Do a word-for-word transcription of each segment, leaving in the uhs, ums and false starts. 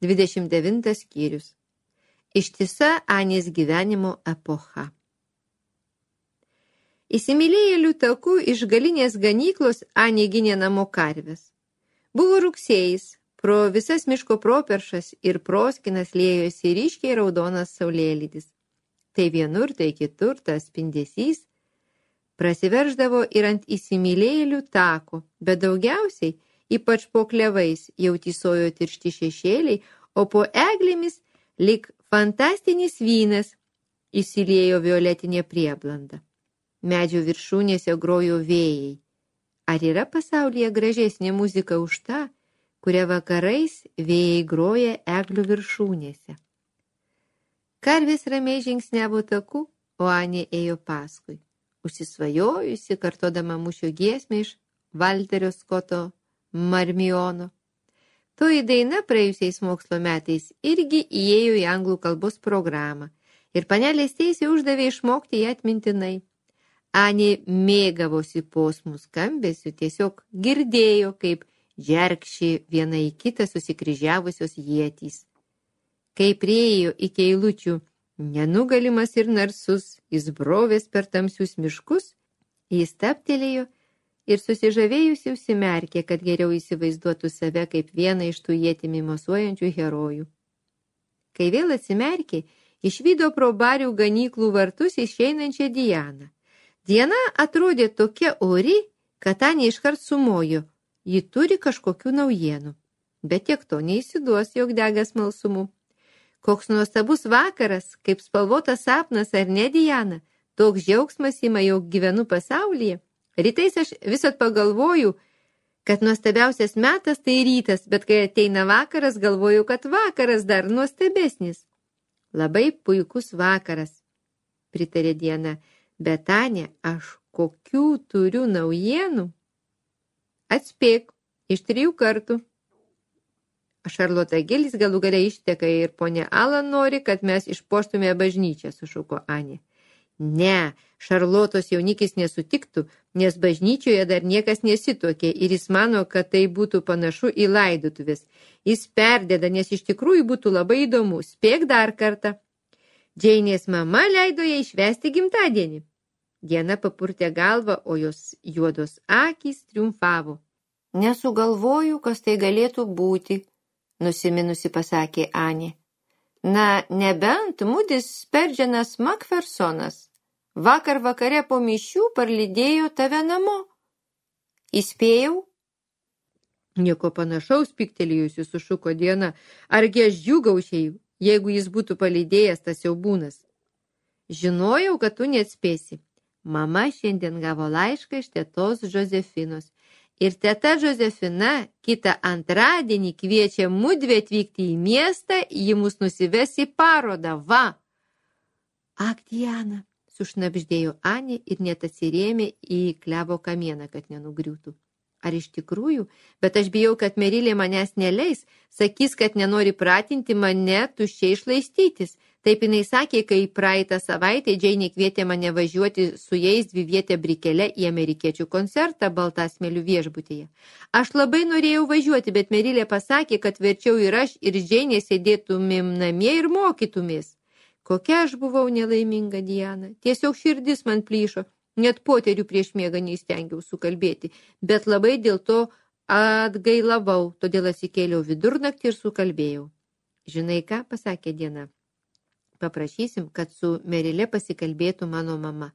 dvidešimt devintas skyrius. Ištisa Anės gyvenimo epocha. Įsimylėjėlių takų iš galinės ganyklos Anė ginė namo karves. Buvo rugsėjis, pro visas miško properšas ir proskinas liejosi ryškiai raudonas saulėlydis. Tai vienur, tai kitur tas spindesys prasiverždavo ir ant įsimylėjėlių tako, bet daugiausiai, ypač po klevais, jau tysojo tiršti šešėliai, o po eglėmis lyg fantastinis vynas įsiliejo violetinė prieblanda. Medžių viršūnėse grojo vėjai. Ar yra pasaulyje gražesnė muzika už tą, kurią vakarais vėjai groja eglių viršūnėse? Karvės ramiai žingsniavo taku, o Anė ėjo paskui, užsisvajojusi, kartodama mūšio giesmę iš Valterio Skoto Marmiono. Toji daina praėjusiais mokslo metais irgi įėjo į anglų kalbos programą ir panelės teisė uždavė išmokti ją atmintinai. Anė mėgavosi posmų skambesiu, tiesiog girdėjo, kaip džerkši viena į kitą susikryžiavusios ietys. Kai priėjo iki eilučių nenugalimas ir narsus, jis brovės per tamsius miškus, jis stabtelėjo ir susižavėjusi užsimerkė, kad geriau įsivaizduotų save kaip vieną iš tų ietimi mosuojančių herojų. Kai vėl atsimerkė, išvydo pro barių ganyklų vartus išeinančią Dianą. Diena atrodė tokia ori, kad Anė iškart sumojo, ji turi kažkokių naujienų, bet tiek to neįsiduos, jog dega smalsumu. Koks nuostabus vakaras, kaip spalvotas sapnas, ar ne, Diana? Toks džiaugsmas ima, jog gyvenu pasaulyje. Rytais aš visat pagalvoju, kad nuostabiausias metas tai rytas, bet kai ateina vakaras, galvoju, kad vakaras dar nuostabesnis. Labai puikus vakaras, pritarė Diana. Bet Anė, aš kokių turiu naujienų? Atspėk, iš trijų kartų. Šarlota Gilis galų gale išteka ir ponė Alan nori, kad mes išpuoštume bažnyčią, sušuko Anė. Ne, Šarlotos jaunikis nesutiktų, nes bažnyčioje dar niekas nesituokė ir jis mano, kad tai būtų panašu į laidotuvės. Jis perdeda, nes iš tikrųjų būtų labai įdomu. Spėk dar kartą. Džeinės mama leido ją išvesti gimtadienį. Diana papurtė galvą, o jos juodos akys triumfavo. Nesugalvoju, kas tai galėtų būti, nusiminusi pasakė Anė. Na, nebent Mudis Sperdžianas Makfersonas vakar vakare po mišių parlydėjo tave namo. Įspėjau? Nieko panašaus, piktelėjusi sušuko Diana. Argi aš džiūgaučiau, jeigu jis būtų palydėjęs tas siaubūnas? Žinojau, kad tu neatspėsi. Mama šiandien gavo laišką iš tetos Josefinos. Ir teta Josefina kitą antradienį kviečia mudvi atvykti į miestą, ji mus nusives į parodą, va. Ak, Diana, sušnabždėjo Anė ir net atsirėmė į klevo kamieną, kad nenugriūtų. Ar iš tikrųjų? Bet aš bijau, kad Merilė manęs neleis, sakys, kad nenori pratinti mane tuščiai išlaistytis. Taip jinai sakė, kai praeitą savaitę Džeinė kvietė mane važiuoti su jais dvivietę brikelę į amerikiečių koncertą Baltasmelių viešbutyje. Aš labai norėjau važiuoti, bet Merilė pasakė, kad verčiau ir aš ir Džeinė sėdėtumėm namie ir mokytumės. Kokia aš buvau nelaiminga, Diana. Tiesiog širdis man plyšo. Net poterių prieš miegą neįstengiau sukalbėti, bet labai dėl to atgailavau, todėl atsikėliau vidurnaktį ir sukalbėjau. Žinai ką, pasakė Diana. Paprašysim, kad su Merilė pasikalbėtų mano mama.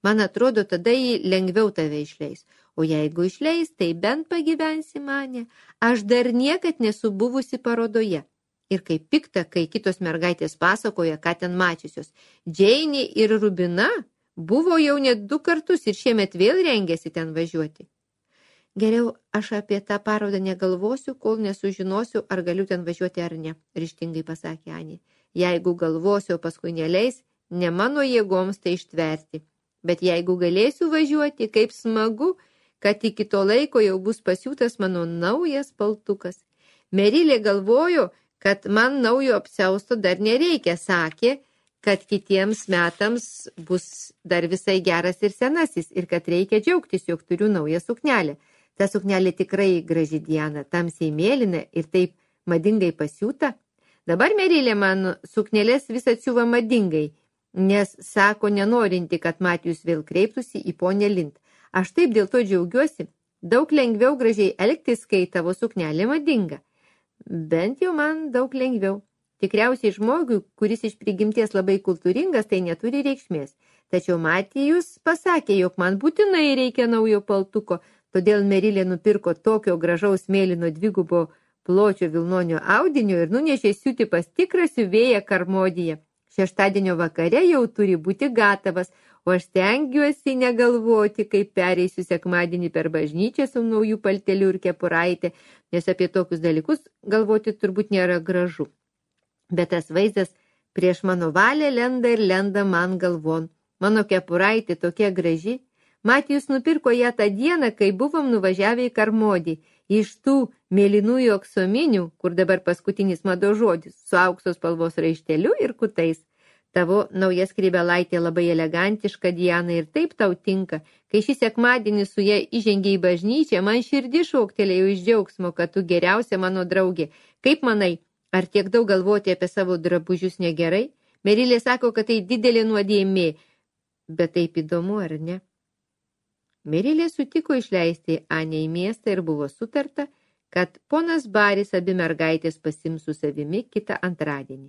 Man atrodo, tada jį lengviau tave išleis. O jeigu išleis, tai bent pagyvensi mane. Aš dar niekad nesu buvusi parodoje. Ir kaip pikta, kai kitos mergaitės pasakoja, ką ten mačiusios. Džeinė ir Rubina buvo jau net du kartus ir šiemet vėl rengėsi ten važiuoti. Geriau aš apie tą parodą negalvosiu, kol nesužinosiu, ar galiu ten važiuoti ar ne, ryžtingai pasakė Anė. Jeigu galvosiu, o paskui neleis, ne mano jėgoms tai ištverti. Bet jeigu galėsiu važiuoti, kaip smagu, kad iki to laiko jau bus pasiūtas mano naujas paltukas. Merilė galvojo, kad man naujo apsiausto dar nereikia, sakė, kad kitiems metams bus dar visai geras ir senasis ir kad reikia džiaugtis, jog turiu naują suknelę. Ta suknelė tikrai graži, Diana, tamsiai mėlyna ir taip madingai pasiūta, Dabar Merilė man suknelės vis atsiuva madingai, nes sako nenorinti, kad Matijus vėl kreiptųsi į ponę Lind. Aš taip dėl to džiaugiuosi. Daug lengviau gražiai elgtis, kai tavo suknelė madinga. Bent jau man daug lengviau. Tikriausiai žmogui, kuris iš prigimties labai kultūringas, tai neturi reikšmės. Tačiau Matijus pasakė, jog man būtinai reikia naujo paltuko, todėl Merilė nupirko tokio gražaus mėlyno dvigubo pločio vilnonio audinio ir nunešė siūti pas tikrą siuvėją Karmodyje. Šeštadienio vakare jau turi būti gatavas, o aš stengiuosi negalvoti, kaip pereisiu sekmadienį per bažnyčią su naujų palteliu ir kepuraitė, nes apie tokius dalykus galvoti turbūt nėra gražu. Bet tas vaizdas prieš mano valią lenda ir lenda man galvon. Mano kepuraitė tokia graži. Matijus nupirko ją tą dieną, kai buvom nuvažiavę į Karmodį, iš tų mėlynųjų aksominių, kur dabar paskutinis mado žodis, su aukso spalvos raišteliu ir kutais. Tavo nauja skrybelaitė labai elegantiška, Diana, ir taip tau tinka. Kai šį sekmadienį su ją įžengė į bažnyčią, man širdį šoktelėjo iš džiaugsmo, kad tu geriausia mano draugė. Kaip manai, ar tiek daug galvoti apie savo drabužius negerai? Merilė sako, kad tai didelė nuodėmė, bet taip įdomu, ar ne? Merilė sutiko išleisti Anę į miestą ir buvo sutarta, kad ponas Baris abi mergaitės pasims su savimi kitą antradienį.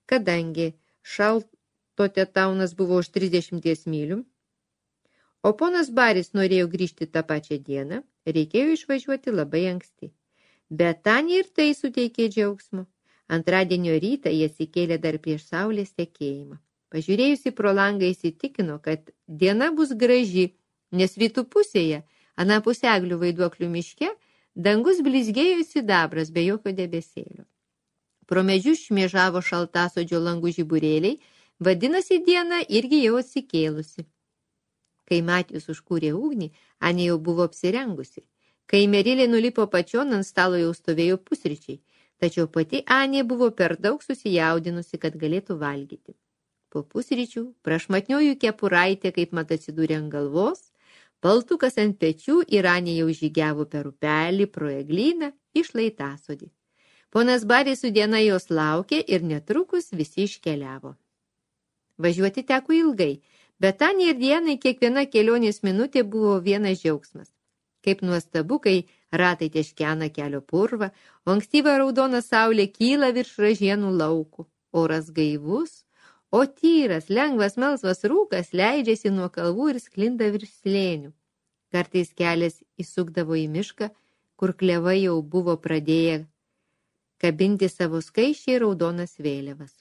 Kadangi Šaltotaunas buvo už trisdešimties mylių, o ponas Baris norėjo grįžti tą pačią dieną, reikėjo išvažiuoti labai anksti. Bet Anė ir tai suteikė džiaugsmo. Antradienio rytą jie atsikėlė dar prieš saulės tekėjimą. Pažiūrėjusi pro langą įsitikino, kad diena bus graži, nes rytų pusėje, anapus eglių vaiduoklių miške, dangus blizgėjo sidabras be jokio debesėlio. Pro medžius šmėžavo šaltasodžio langų žiburėliai, vadinasi diena irgi jau atsikėlusi. Kai Matijus užkūrė ugnį, Anė jau buvo apsirengusi. Kai Merilė nulipo pačion, ant stalo jau stovėjo pusryčiai, tačiau pati Anė buvo per daug susijaudinusi, kad galėtų valgyti. Po pusryčių prašmatnioju kepuraitė, kaip mat atsidūrė ant galvos, paltukas ant pečių ir Anė jau žygiavo per upelį pro eglyną iš Laitasodį. Ponas Baris su diena jos laukė ir netrukus visi iškeliavo. Važiuoti teko ilgai, bet Anė ir dienai kiekviena kelionės minutė buvo vienas džiaugsmas. Kaip nuostabu, kai ratai teškena kelio purvą, o ankstyva raudona saulė kyla virš ražienų laukų, oras gaivus, o tyras, lengvas melsvas rūkas leidžiasi nuo kalvų ir sklinda virš slėnių. Kartais kelias įsukdavo į mišką, kur klevai jau buvo pradėję kabinti savo skaičiai raudonas vėliavas.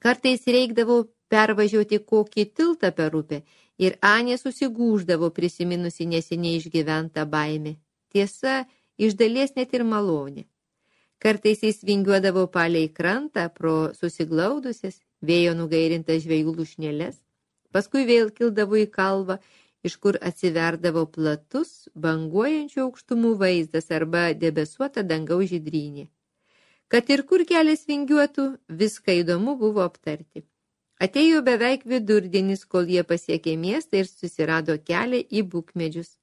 Kartais reikdavo pervažiuoti kokį tiltą per upę ir Anė susigūždavo prisiminusi neseniai išgyventą baimę. Tiesa, iš dalies net ir malonė. Kartais jis vingiuodavo palei krantą pro susiglaudusias, vėjo nugairintas žvejų lūšnėles, paskui vėl kildavo į kalvą, iš kur atsiverdavo platus, banguojančių aukštumų vaizdas arba debesuota dangaus žydrynė. Kad ir kur kelias vingiuotų, viską įdomu buvo aptarti. Atėjo beveik vidurdienis, kol jie pasiekė miestą ir susirado kelią į bukmedžius.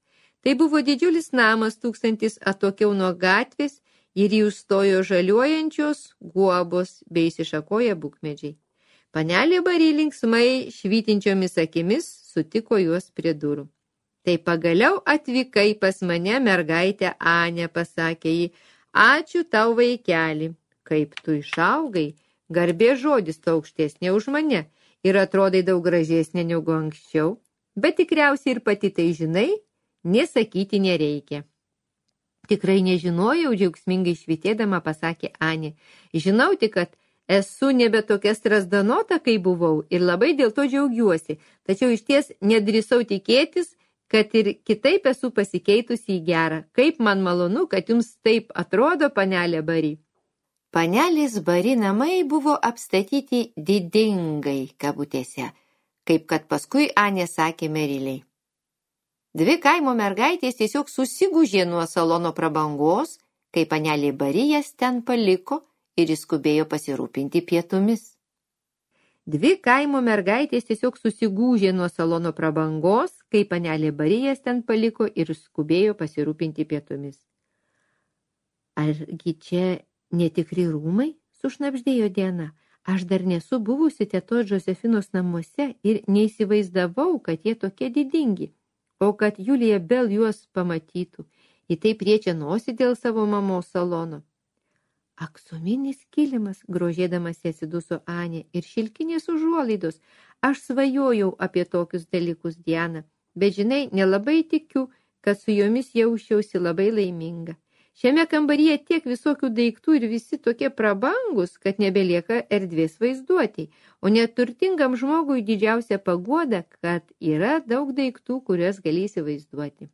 Tai buvo didžiulis namas tūkstantis atokiau nuo gatvės ir jį užstojo žaliuojančios guobos bei išsišakoję bukmedžiai. Panelė Bari linksmai švytinčiomis akimis sutiko juos prie durų. Tai pagaliau atvykai pas mane, mergaitė Anė, pasakė ji. Ačiū tau, vaikeli, kaip tu išaugai, garbė žodis tu aukštesnė už mane ir atrodai daug gražesnė negu anksčiau, bet tikriausiai ir pati tai žinai, nesakyti nereikia. Tikrai nežinojau, džiaugsmingai švytėdama pasakė Anė. Žinau tik, kad esu nebe tokia strasdanota, kai buvau ir labai dėl to džiaugiuosi, tačiau išties nedrįsau tikėtis, kad ir kitaip esu pasikeitusi į gerą. Kaip man malonu, kad jums taip atrodo, panelė Bari. Panelės Bari namai buvo apstatyti didingai kabutėse, kaip kad paskui Anė sakė Meriliai. Dvi kaimo mergaitės tiesiog susigūžė nuo salono prabangos, kai panelė Bari jas ten paliko ir įskubėjo pasirūpinti pietumis. Dvi kaimo mergaitės tiesiog susigūžė nuo salono prabangos, kai panelė Bari jas ten paliko ir skubėjo pasirūpinti pietumis. Argi čia netikri rūmai? Sušnabždėjo Diana. Aš dar nesu buvusi tetos Josefinos namuose ir neįsivaizdavau, kad jie tokie didingi. O kad Julija Bell juos pamatytų, į tai priečia nosį dėl savo mamos salono. Aksominis kilimas, grožėdamas atsiduso Anė, ir šilkinės užuolaidos. Aš svajojau apie tokius dalykus, Diana, bet žinai, nelabai tikiu, kad su jomis jausčiausi labai laiminga. Šiame kambaryje tiek visokių daiktų ir visi tokie prabangus, kad nebelieka erdvės vaizduotei, o neturtingam žmogui didžiausia paguoda, kad yra daug daiktų, kuriuos gali įsivaizduoti.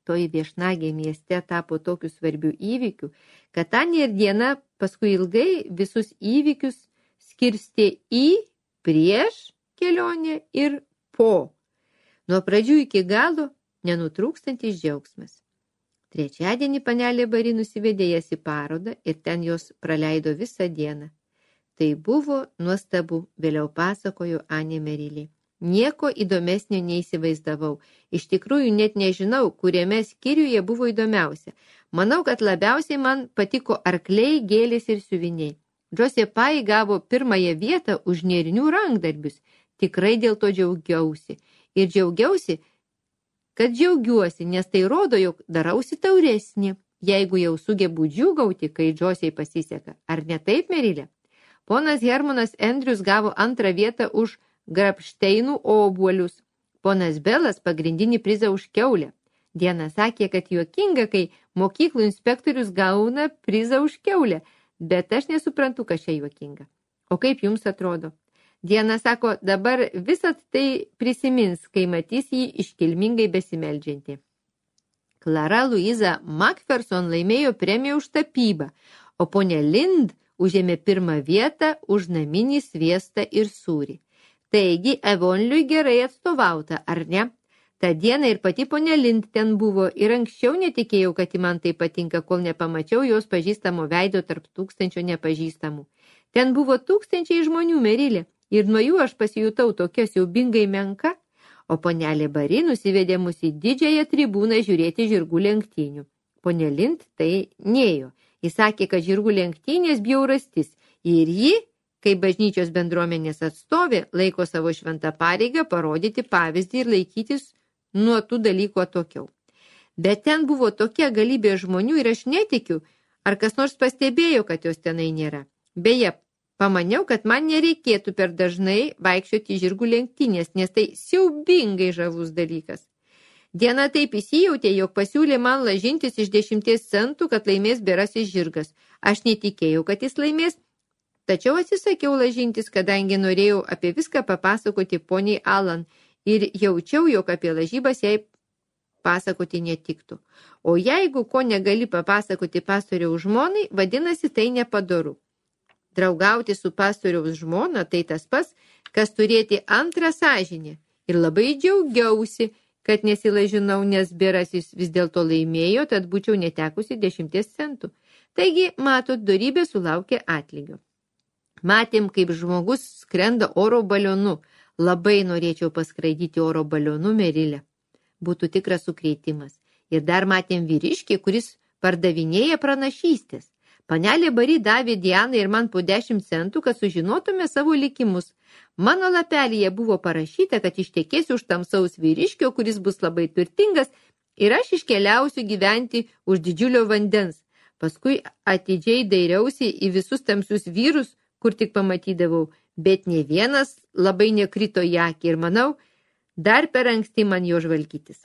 Toji viešnagė mieste tapo tokių svarbių įvykių, kad Anė ir Diana paskui ilgai visus įvykius skirstė į, prieš kelionę ir po. Nuo pradžių iki galo nenutrūkstantis džiaugsmas. Trečiadienį panelė Bari nusivedė jas į parodą ir ten jos praleido visą dieną. Tai buvo nuostabu, vėliau pasakojo Anė Merilė. Nieko įdomesnio neįsivaizdavau. Iš tikrųjų net nežinau, kuriame skyriuje buvo įdomiausia. Manau, kad labiausiai man patiko arkliai, gėlės ir siuviniai. Džosė Pai gavo pirmąją vietą už nėrinių rankdarbius. Tikrai dėl to džiaugiausi. Ir džiaugiausi, kad džiaugiuosi, nes tai rodo, jog darausi tauresnė, jeigu jau sugebu džiūgauti, kai Džosiai pasiseka. Ar ne taip, Merilė? Ponas Hermanas Andrius gavo antrą vietą už grapšteinų obuolius. Ponas Belas pagrindinį prizą už kiaulę. Diana sakė, kad juokinga, kai mokyklų inspektorius gauna prizą už kiaulę, bet aš nesuprantu, kas čia juokinga. O kaip jums atrodo? Diana sako, dabar visat tai prisimins, kai matys jį iškilmingai besimeldžiantį. Klara Luiza Macpherson laimėjo premiją už tapybą, o ponia Lind užėmė pirmą vietą už naminį sviestą ir sūrį. Taigi, Evonliui gerai atstovauta, ar ne? Ta diena ir pati ponia Lind ten buvo ir anksčiau netikėjau, kad į man tai patinka, kol nepamačiau jos pažįstamo veido tarp tūkstančio nepažįstamų. Ten buvo tūkstančiai žmonių, Merilė. Ir nuo jų aš pasijutau tokia siaubingai menka, o ponelė Bari nusivedė mus į didžiąją tribūną žiūrėti žirgų lenktynių. Ponė Lind tai nėjo. Jis sakė, kad žirgų lenktynės bjaurastis ir ji, kaip bažnyčios bendruomenės atstovė, laiko savo šventą pareigą parodyti pavyzdį ir laikytis nuo tų dalykų atokiau. Bet ten buvo tokia galybė žmonių ir aš netikiu, ar kas nors pastebėjo, kad jos tenai nėra. Beje, pamaniau, kad man nereikėtų per dažnai vaikščioti žirgų lenktynės, nes tai siaubingai žavus dalykas. Diena taip įsijautė, jog pasiūlė man lažintis iš dešimties centų, kad laimės berasis žirgas. Aš netikėjau, kad jis laimės, tačiau atsisakiau lažintis, kadangi norėjau apie viską papasakoti poniai Alan ir jaučiau, jog apie lažybas jai pasakoti netiktų. O jeigu ko negali papasakoti pastoriaus žmonai, vadinasi tai nepadoru. Draugauti su pastoriaus žmona tai tas pats, kas turėti antrą sąžinę. Ir labai džiaugiausi, kad nesilažinau, nes berasis vis dėlto laimėjo, tad būčiau netekusi dešimties centų. Taigi, matot, dorybė sulaukė atlygio. Matėm, kaip žmogus skrenda oro balionu. Labai norėčiau paskraidyti oro balionu, Merilė. Būtų tikras sukrėtimas. Ir dar matėm vyriškį, kuris pardavinėja pranašystės. Panelė Bari davė Dianai ir man po dešimt centų, kad sužinotume savo likimus. Mano lapelyje buvo parašyta, kad ištekėsiu už tamsaus vyriškio, kuris bus labai turtingas, ir aš iškeliausiu gyventi už didžiulio vandens. Paskui atidžiai dairiausi į visus tamsius vyrus, kur tik pamatydavau, bet ne vienas labai nekrito į akį ir manau, dar per anksti man jo žvalgytis.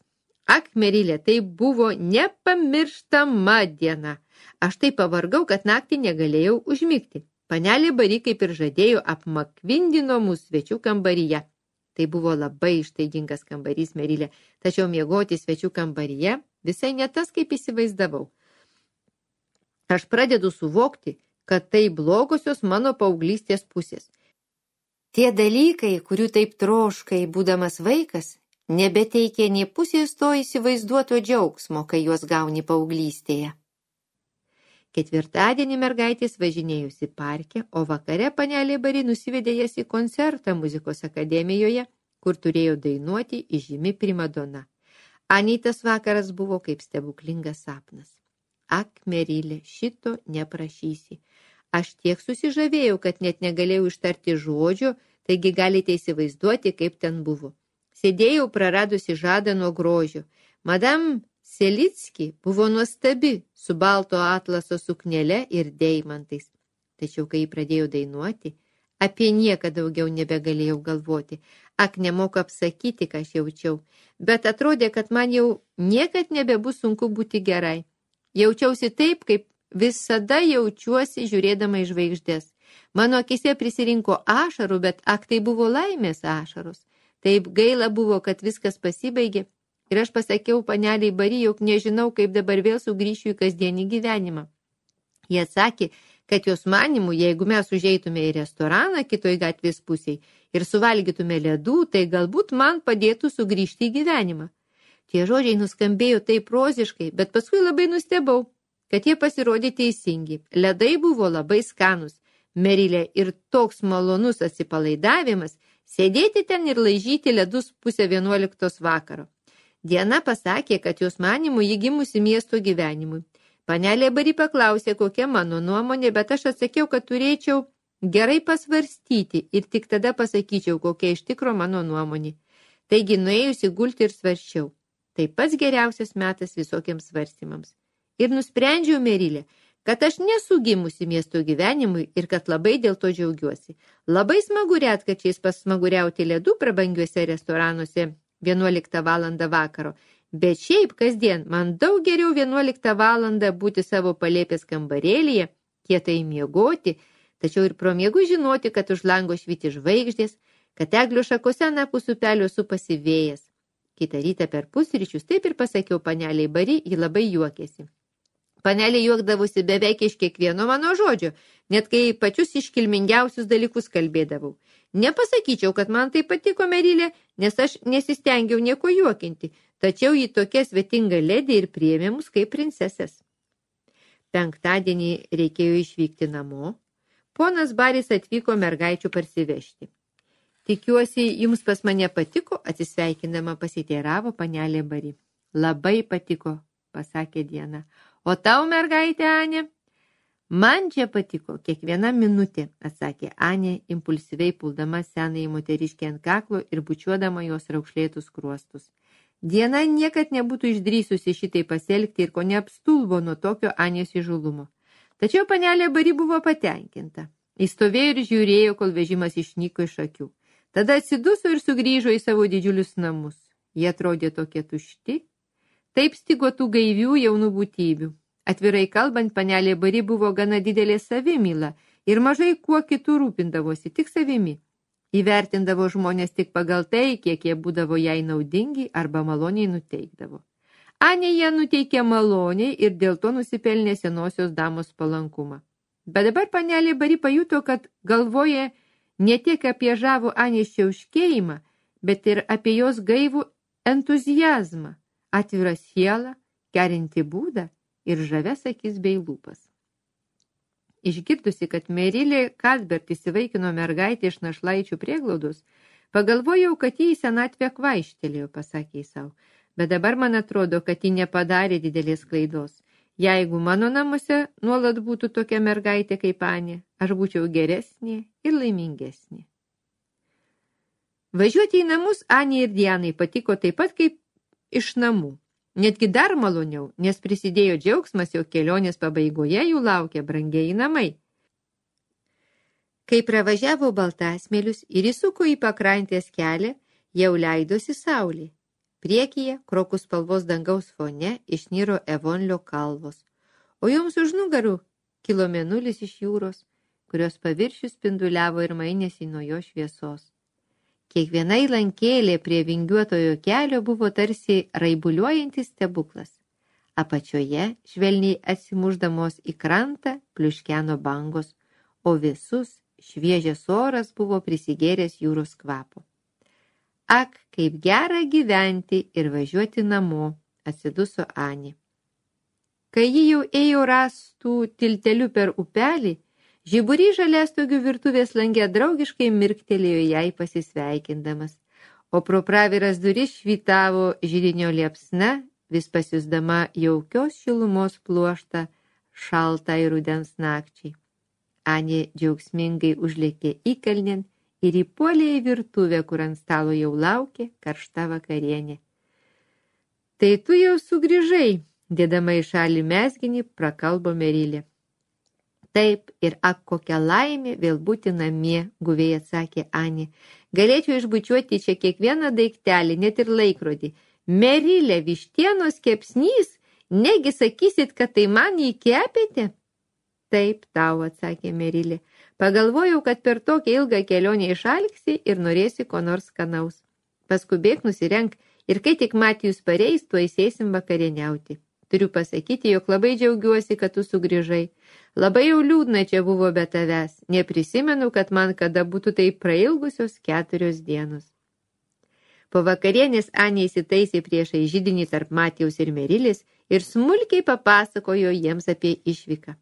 Ak, Merilė, tai buvo nepamirštama diena. Aš taip pavargau, kad naktį negalėjau užmigti. Panelė Bari, kaip ir žadėjo, apmakvindino mūsų svečių kambaryje. Tai buvo labai ištaigingas kambarys, Merilė, tačiau miegoti svečių kambaryje visai ne tas, kaip įsivaizdavau. Aš pradedu suvokti, kad tai blogosios mano paauglystės pusės. Tie dalykai, kurių taip troškai, būdamas vaikas, nebeteikė nė pusės to įsivaizduoto džiaugsmo, kai juos gauni paauglystėje. Ketvirtadienį mergaitės važinėjusi parke, o vakare panelė Bari nusivedė jas į koncertą muzikos akademijoje, kur turėjo dainuoti įžymi primadona. Anytas vakaras buvo kaip stebuklingas sapnas. Ak, Merilė, šito neprašysi. Aš tiek susižavėjau, kad net negalėjau ištarti žodžio, taigi galite įsivaizduoti, kaip ten buvo. Sėdėjau praradusi žadą nuo grožio. Madam Selicki buvo nuostabi, su balto atlaso suknele ir deimantais. Tačiau, kai pradėjau dainuoti, apie nieką daugiau nebegalėjau galvoti. Ak, nemoku apsakyti, ką aš jaučiau, bet atrodė, kad man jau niekad nebebus sunku būti gerai. Jaučiausi taip, kaip visada jaučiuosi žiūrėdama į žvaigždės. Mano akise prisirinko ašarų, bet ak, tai buvo laimės ašaros. Taip gaila buvo, kad viskas pasibaigė ir aš pasakiau paneliai Bari, jog nežinau, kaip dabar vėl sugrįšiu į kasdienį gyvenimą. Jie atsakė, kad jos manimų, jeigu mes užeitume į restoraną kitoj gatvės pusėj ir suvalgytume ledų, tai galbūt man padėtų sugrįžti į gyvenimą. Tie žodžiai nuskambėjo taip roziškai, bet paskui labai nustebau, kad jie pasirodė teisingi. Ledai buvo labai skanus, Merilė, ir toks malonus atsipalaidavimas sėdėti ten ir laižyti ledus pusę vienuoliktos vakaro. Diana pasakė, kad jos manimų ji gimusi miesto gyvenimui. Panelė Bari paklausė, kokia mano nuomonė, bet aš atsakiau, kad turėčiau gerai pasvarstyti ir tik tada pasakyčiau, kokia iš tikro mano nuomonė. Taigi nuėjusi gulti ir svarsčiau. Tai pats geriausias metas visokiems svarstymams. Ir nusprendžiau, Merilė, kad aš nesu gimusi miesto gyvenimui ir kad labai dėl to džiaugiuosi. Labai smagu retkarčiais pasmaguriauti ledų prabangiuose restoranuose vienuoliktą valandą vakaro. Bet šiaip kasdien man daug geriau vienuoliktą valandą būti savo palėpės kambarėlyje, kietai miegoti, tačiau ir pro miegų žinoti, kad už lango švyti žvaigždės, kad eglių šakose anapus upelio supasi vėjas. Kitą rytą per pusryčius taip ir pasakiau paneliai Bari, ji labai juokėsi. Panelė juokdavosi beveik iš kiekvieno mano žodžio, net kai pačius iškilmingiausius dalykus kalbėdavau. Nepasakyčiau, kad man tai patiko Merilė, nes aš nesistengiau nieko juokinti, tačiau ji tokia svetinga ledė ir priėmė mus kaip princesės. Penktadienį reikėjo išvykti namo. Ponas Baris atvyko mergaičių parsivežti. Tikiuosi, jums pas mane patiko, atsisveikindama pasiteiravo panelė Bari. Labai patiko, pasakė Diana. O tau, mergaitė Anė? Man čia patiko kiekviena minutė, atsakė Anė, impulsyviai puldama senąjį moteriškį ant kaklo ir bučiuodama jos raukšlėtus kruostus. Diana niekad nebūtų išdrįsusi šitai pasielgti ir ko neapstulbo nuo tokio Anės įžulumo. Tačiau panelė Bari buvo patenkinta. Įstovėjo ir žiūrėjo, kol vežimas išnyko iš akių. Tada atsiduso ir sugrįžo į savo didžiulius namus. Jie atrodė tokie tušti. Taip stigo tų gaivių jaunų būtybių. Atvirai kalbant, panelė Bari buvo gana didelė savimyla ir mažai kuo kitų rūpindavosi, tik savimi. Įvertindavo žmonės tik pagal tai, kiek jie būdavo jai naudingi arba maloniai nuteikdavo. Anė ją nuteikė maloniai ir dėl to nusipelnė senosios damos palankumą. Bet dabar panelė Bari pajuto, kad galvoja ne tiek apie žavų Anės čiauškėjimą, bet ir apie jos gaivų entuziazmą, atvirą sielą, kerinti būdą ir žaves akis bei lūpas. Išgirdusi, kad Merilė Kadbert įsivaikino mergaitę iš našlaičių prieglaudos, pagalvojau, kad jį į senatvę kvaištelėjo, pasakė savo, bet dabar man atrodo, kad ji nepadarė didelės klaidos. Jeigu mano namuose nuolat būtų tokia mergaitė kaip Anė, aš būčiau geresnė ir laimingesnė. Važiuoti į namus Anė ir Dianai patiko taip pat kaip iš namų. Netgi dar maloniau, nes prisidėjo džiaugsmas, jo kelionės pabaigoje jų laukia brangieji namai. Kai pravažiavo Baltasmėlius ir įsuko į pakrantės kelią, jau leidosi saulė. Priekyje, krokų spalvos dangaus fone, išniro Evonlio kalvos, o joms už nugarų kilo mėnulis iš jūros, kurios paviršius spinduliavo ir mainėsi nuo jo šviesos. Kiekviena įlankėlė prie vingiuotojo kelio buvo tarsi raibuliuojantis stebuklas. Apačioje, švelniai atsimuždamos į krantą, pliuškeno bangos, o visus šviežias oras buvo prisigėręs jūros kvapo. Ak, kaip gera gyventi ir važiuoti namo, atsiduso Anė. Kai ji jau ėjo rastų tilteliu per upelį, žiburį žaliastogių virtuvės lange draugiškai mirktelėjo jai pasisveikindamas, o pro praviras duris švytavo židinio liepsna, vis pasiusdama jaukios šilumos pluoštą šaltai rudens nakčiai. Anė džiaugsmingai užlėkė įkalnėn ir įpuolė į virtuvę, kur ant stalo jau laukė karšta vakarienė. Tai tu jau sugrįžai, dėdama į šalį mezginį, prakalbo Merilė. Taip, ir ak, kokia laimė vėl būti namie, guviai atsakė Anė. Galėčiau išbučiuoti čia kiekvieną daiktelį, net ir laikrodį. Merilė, vištienos kepsnys, negi sakysit, kad tai man jį kepėte? Taip, tau, atsakė Merilė. Pagalvojau, kad per tokią ilgą kelionę išalksi ir norėsi ko nors skanaus. Paskubėk, nusirenk ir kai tik Matijus pareis, tuoj sėsim vakarieniauti. Turiu pasakyti, jog labai džiaugiuosi, kad tu sugrįžai. Labai jau liūdna čia buvo be tavęs. Neprisimenu, kad man kada būtų tai prailgusios keturios dienos. Po vakarienės Anė įsitaisė priešai židinį tarp Matijaus ir Merilės ir smulkiai papasakojo jiems apie išvyką.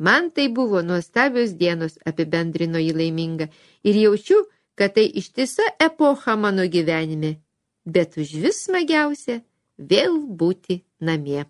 Man tai buvo nuostabios dienos, apibendrino jį laiminga, ir jaučiu, kad tai ištisa epocha mano gyvenime. Bet užvis smagiausia vėl būti namie.